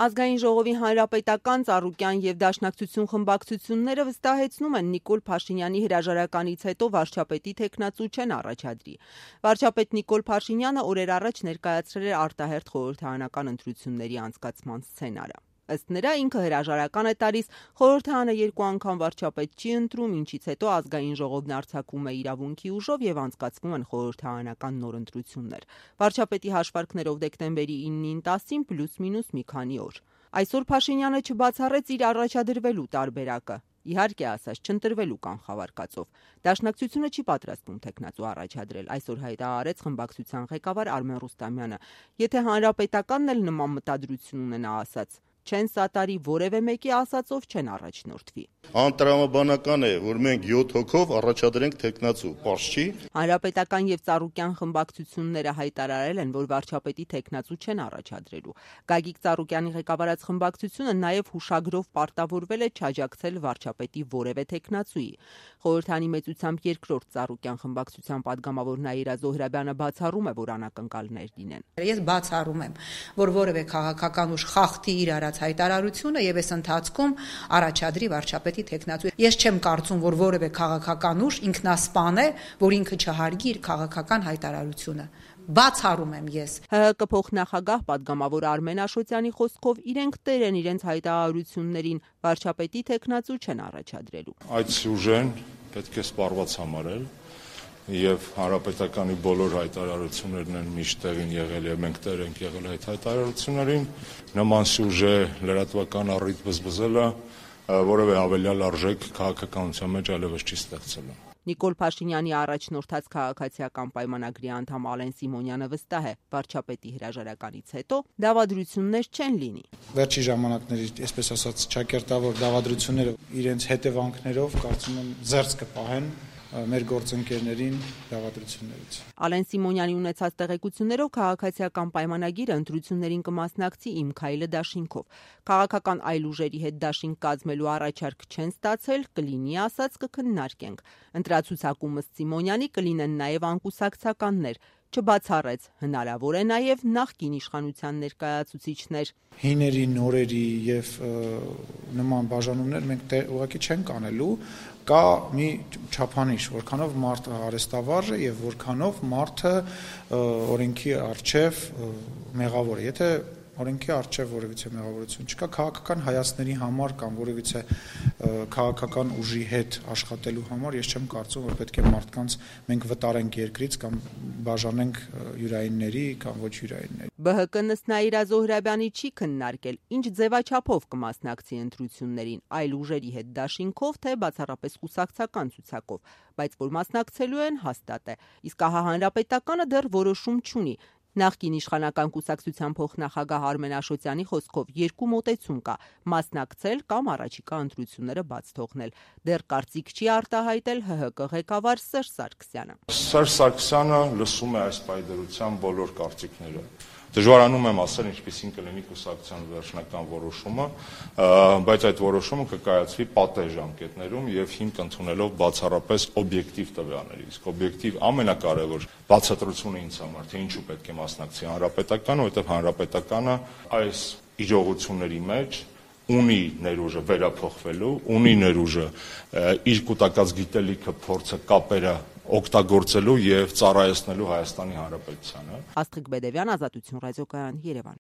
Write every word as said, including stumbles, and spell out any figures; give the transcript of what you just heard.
Ազգային ժողովի հանրապետական, ծառուկյան և դաշնակցություն խմբակցությունները վստահեցնում են Նիկոլ Փաշինյանի հրաժարականից հետո վարչապետի թեկնածու չեն առաջադրի։ Վարչապետ Նիկոլ Փաշինյանը օրեր առաջ ներկայացրել էր արտահերթ խորհրդարանական ընտրությունների անցկացման սցենարը։ Ըստ նրա ինքը հրաժարական է տալիս, խորհրդարանը երկու անգամ վարչապետ չի ընտրում, ինչից հետո ազգային ժողովն արձակում է իրավունքի ուժով եւ անցկացվում են խորհրդարանական նոր ընտրություններ։ Վարչապետի հաշվարկներով դեկտեմբերի իննին տասին պլյուս մինուս մի քանի օր։ Այսօր Փաշինյանը չբացառեց իր առաջադրվելու տարբերակը։ Իհարկե ասած չընտրվելու կանխավարկածով։ Դաշնակցությունը չի պատրաստվում թեկնածու առաջադրել, այսօր հայտարարեց խմբակցության ղեկավար Արմեն Ռուստամյանը։ Եթե հանրապետականն էլ նման մտադրություն ունենա, ասաց, չեն սատարի որևէ մեկի ասածով չեն առաջնորդվի։ Անտրամաբանական է, որ մենք յոթ հոգով առաջադրենք թեկնածու, պարզ չի։ Հանրապետական եւ ծառուկյան խմբակցությունները հայտարարել են, որ վարչապետի թեկնածու չեն առաջադրելու։ Գագիկ Ծառուկյանի ղեկավարած խմբակցությունը նաեւ հուշագրով պարտավորվել է չաջակցել վարչապետի որևէ թեկնածուի։ Խորհրդանի մեծությամբ երկրորդ ծառուկյան խմբակցության падգամավոր Նաիրա Զոհրաբյանը բացառում է, որ անակնկալներ լինեն։ Ես բացառում եմ, որ որևէ քաղաքական ուժ խախտի իր արած հայտարարությունը եւ այս ընթացքում առաջադրի վարչապետի թեկնածու։ Ես չեմ կարծում, որ որևէ քաղաքական ուժ ինքնասպան է, որ ինքը չհարգի իր քաղաքական հայտարարությունը։ Բացառում եմ ես։ ՀՀԿ փոխնախագահ падգամավոր Արմեն Աշոտյանի խոսքով իրենք տեր են իրենց հայտարարություններին, վարչապետի թեկնածու չեն առաջադրելու։ Այդ սյուժեն պետք է սպառված համարել եւ հանրապետականի բոլոր հայտարարություններն են միշտ տեղին եղել եւ մենք տեր ենք եղել այդ հայտարարություններին։ Նման սյուժե լրատվական առիթ բզբզելը որևէ հավելյալ արժեք քաղաքականության մեջ այլևս չի ստեղծելու։ Նիկոլ Փաշինյանի առաջնորդած քաղաքացիական պայմանագրի անդամ Ալեն Սիմոնյանը վստահ է, վարչապետի հրաժարականից հետո դավադրություններ չեն լինի։ Վերջի ժամանակների, այսպես ասած, ճակերտավոր դավադրությունները իրենց հետևանքներով կարծում եմ զերծ կպահեն մեր գործընկերներին դավադրություններից։ Ալեն Սիմոնյանի ունեցած տեղեկություններով քաղաքացիական պայմանագիրը ընտրություններին կմասնակցի Իմ քայլը դաշինքով։ Քաղաքական այլ ուժերի հետ դաշինք կազմելու առաջարկ չեն ստացել, կլինի ասած կքննարկենք։ Ընտրացուցակում ըստ Սիմոնյանի կլինեն նաև անկուսակցականներ։ Չբացառեց, հնարավոր է նաև նախկին իշխանության ներկայացուցիչներ։ Հիների, նորերի եւ նման բաժանումներ մենք ուղղակի չենք անելու, կա մի չափանիշ, որքանով մարդը արեստավարժ է եւ որքանով մարդը օրենքի առջև մեղավոր է։ Եթե օրենքի առջև որևիցե մեղավորություն չկա, քաղաքական հայացքների համար կամ որևիցե քաղաքական ուժի հետ աշխատելու համար ես չեմ կարծում, որ պետք է մարդկանց մենք վտարենք երկրից կամ բաժանենք յուրայինների կամ ոչ յուրայինների։ ԲՀԿ-ն ըստ Նաիրա Զոհրաբյանի չի քննարկել, ինչ ձևաչափով կմասնակցի ընտրություններին, այլ ուժերի հետ դաշինքով, թե բացառապես կուսակցական ցուցակով, բայց որ մասնակցելու են հաստատ է։ Իսկ ահա հանրապետականը դեռ որոշում չունի։ Նախկին իշխանական կուսակցության փոխնախագահ Արմեն Աշոտյանի խոսքով երկու մոտեցում կա՝ մասնակցել կամ առաջիկա ընտրությունները բաց թողնել։ Դեռ կարծիք չի արտահայտել ՀՀԿ ղեկավար Սերժ Սարգսյանը։ Սերժ Սարգսյանը լսում է այս պայդրության բոլոր կարծիքները։ Դժվարանում եմ ասել, ինչպիսին կլինի կուսակցության վերջնական որոշումը, բայց այդ որոշումը կկայացվի պատեհ ժամկետներում եւ հիմք ընդունելով բացառապես օբյեկտիվ տվյալների։ Իսկ օբյեկտիվ ամենակարևոր բացատրությունը ինձ համար, թե ինչու պետք է մասնակցի հանրապետականը, որովհետեւ հանրապետականը այս իրողությունների մեջ ունի ներուժը վերափոխվելու, ունի ներուժը իր կուտակած գիտելիքը, փորձը, կապերը օգտագործելու եւ ծառայեցնելու Հայաստանի Հանրապետությանը։ Աստղիկ Բեդևյան, Ազատություն ռադիոկայան, Երևան։